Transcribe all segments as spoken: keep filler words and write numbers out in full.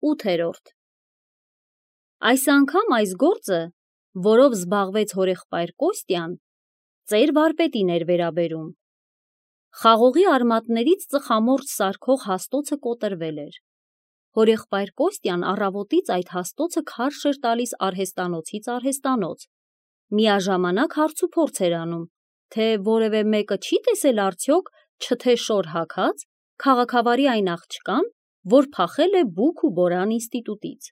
ութերորդ Այս անգամ այս գործը, որով զբաղվեց հորեղբայր Կոստյան, ծեր վարպետին էր վերաբերում։ Խաղողի արմատներից ծխամորճ սարքող հաստոցը կոտրվել էր։ Հորեղբայր Կոստյան առավոտից այդ հաստոցը քարշ էր տալիս արհեստանոցից արհեստանոց, միաժամանակ հարցուփորձ էր անում, թե որևէ մեկը չի տեսել արդյոք չթե շոր հագած քաղաքավարի այն աղջկան, որ փախել է Բուք ու Բորան ինստիտուտից։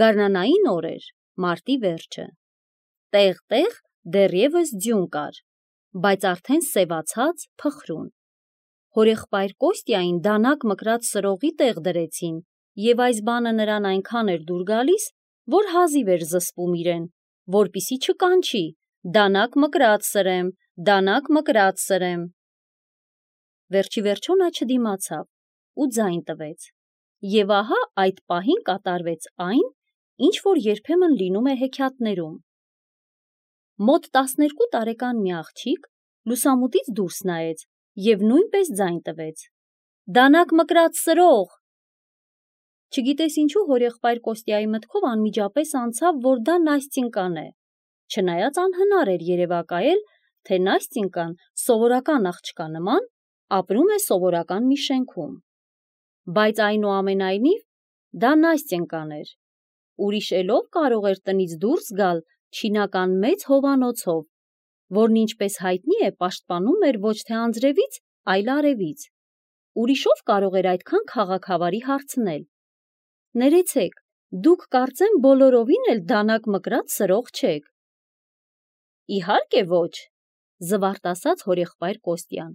Գարնանային օր էր, մարտի վերջը։ Տեղ-տեղ դեռևս ձյուն կար, բայց արդեն սևացած, փխրուն։ Հորեղբայր Կոստյային դանակ մկրած սրողի տեղ դրեցին, և այս բանը նրան այնքան էր դուր գալիս, որ հազիվ էր զսպում իրեն, որպեսզի չկանչի. «Դանակ մկրած սրեմ, դանակ մկրած սրեմ»։ Վերջիվերջո նա չդիմացավ ու ձայն տվեց, և ահա այդ պահին կատարվեց այն, ինչ որ երբեմն լինում է հեքիաթներում։ Մոտ տասներկու տարեկան մի աղջիկ լուսամուտից դուրս նայեց և նույնպես ձայն տվեց. «Դանակ մկրած սրող»։ Չգիտես ինչու հորեղբայր Կոստյայի մտքով անմիջապես անցավ, որ դա Նաստյինկան է, չնայած անհնար էր երևակայել, թե Նաստյինկան սովորական աղջկա նման ապրում է սովորական մի շենքում։ Բայց այնուամենայնիվ դա Նաստյինկան էր, ուրիշ էլով կարող էր տնից դուրս գալ չինական մեծ հովանոցով, որն ինչպես հայտնի է պաշտպանում էր ոչ թե անձրևից, այլ արևից, ուրիշով կարող էր այդքան քաղաքավարի հարցնել. «Ներեցեք, դուք կարծեմ բոլորովին էլ դանակ մկրած սրող չեք»։ «Իհարկե ոչ», զվարթ ասաց հորեղբայր Կոստյան,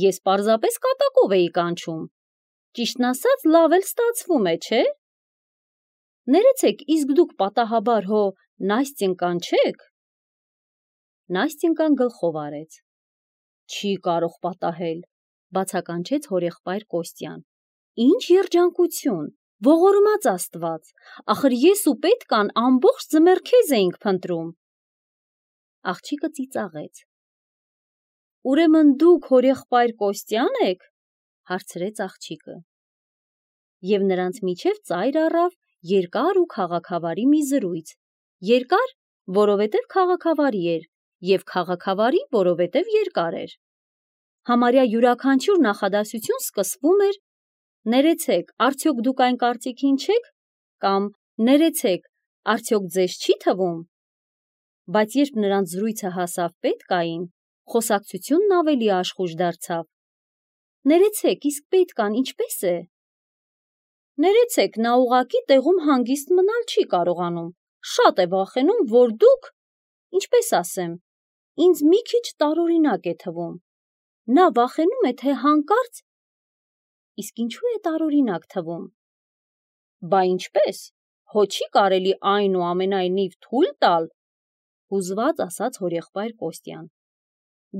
«ես պարզապես կատակով էի կանչում, ճիշտն ասած լավ էլ ստացվում է, չէ՞։ Ներեցեք, իսկ դուք պատահաբար հո Նաստյինկան չե՞ք»։ Նաստյինկան գլխով արեց. «Չի կարող պատահել», բացականչեց հորեղբայր Կոստյան։ «Ինչ երջանկություն, ողորմած Աստված, ախր ես ու պետկան ամբողջ ձմեռ քեզ էինք փնտրում»։ Աղջիկը ծիծաղեց. «Ուրեմն դուք հորեղբայր Կոստյա՞ն եք», հարցրեց աղջիկը։ Եվ նրանց միջև ծայր առավ երկար ու քաղաքավարի մի զրույց, երկար, որովհետև քաղաքավարի էր, և քաղաքավարի, որովհետև երկար էր։ Համարյա յուրաքանչյուր նախադասություն սկսվում էր. «Ներեցեք, արդյոք դուք այն կարծիքին չեք» կամ «Ներեցեք, արդյոք ձեզ չի թվում»։ Բայց երբ նրանց զրույցը հասավ պետկային, խոսակցությունն ավելի աշխույժ դարձավ. «Ներեցեք, իսկ պետկան ինչպե՞ս է»։ «Ներեցեք, նա ուղղակի տեղում հանգիստ մնալ չի կարողանում, շատ է վախենում, որ դուք, ինչպես ասեմ, ինձ մի քիչ տարօրինակ է թվում։ Նա վախենում է, թե հանկարծ… Իսկ ինչու է տարօրինակ թվում»։ «Բա ինչպես, հո չի կարելի այնուամենայնիվ թույլ տալ», հուզված ասաց հորեղբայր Կոստյան։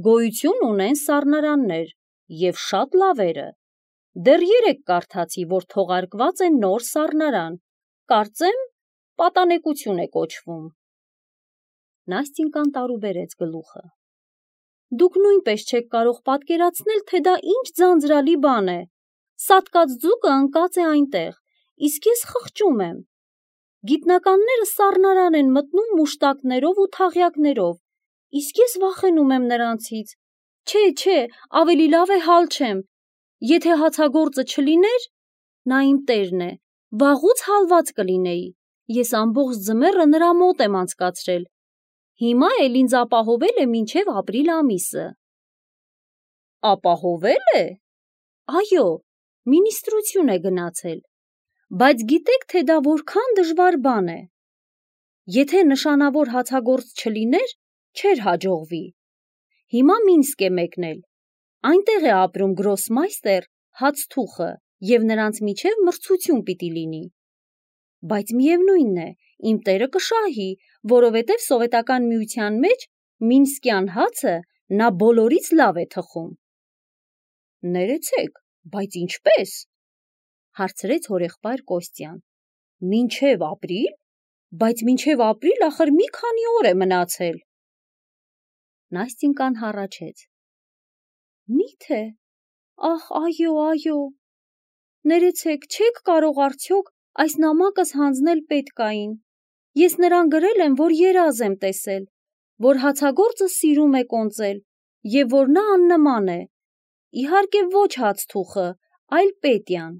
«Գոյություն ունեն սառնարաններ, և շատ լավերը։ Դեռ երեկ կարդացի, որ թողարկված է նոր սառնարան, կարծեմ, պատանեկություն է կոչվում»։ Նաստյինկան տարուբերեց գլուխը. «Դուք նույնպես չեք կարող պատկերացնել, թե դա ինչ ձանձրալի բան է։ Սատկած ձուկը ընկած է այնտեղ, իսկ ես խղճում եմ։ Գիտնականները սառնարան են մտնում մուշտակներով ու թաղյակներով, իսկ ես վախենում եմ նրանցից։ Չէ, չէ, ավելի լավ է հալչեմ։ Եթե հացագործը չլիներ, նա իմ տերն է, վաղուց հալված կլինեի, ես ամբողջ ձմեռը նրա մոտ եմ անցկացրել, հիմա էլ ինձ ապահովել է մինչև ապրիլ ամիսը»։ «Ապահովել է»։ «Այո, մինիստրություն է գնացել, բայց գիտեք, թե դա որքան դժվար բան է։ Եթե նշանավոր հացագործ չլիներ, չէր հաջողվի։ Հիմա Մինսկ է մեկնել, այնտեղ է ապրում գրոսմայստեր Հացթուխը, և նրանց միջև մրցություն պիտի լինի։ Բայց միևնույն է, իմ տերը կշահի, որովհետև Սովետական Միության մեջ մինսկյան հացը նա բոլորից լավ է թխում»։ «Ներեցեք, բայց ինչպե՞ս», հարցրեց հորեղբայր Կոստյան։ «Մինչև ապրիլ, բայց մինչև ապրիլ ախր մի քանի օր է մնացել»։ Նաստյինկան հառաչեց. «Մի՞թե, ախ, այո, այո, Ներեցեք, չեք կարող արդյոք այս նամակս հանձնել պետկային։ Ես նրան գրել եմ, որ երազ եմ տեսել, որ հացագործը սիրում է կոնծել և որ նա աննման է։ Իհարկե ոչ հացթուխը, այլ Պետյան։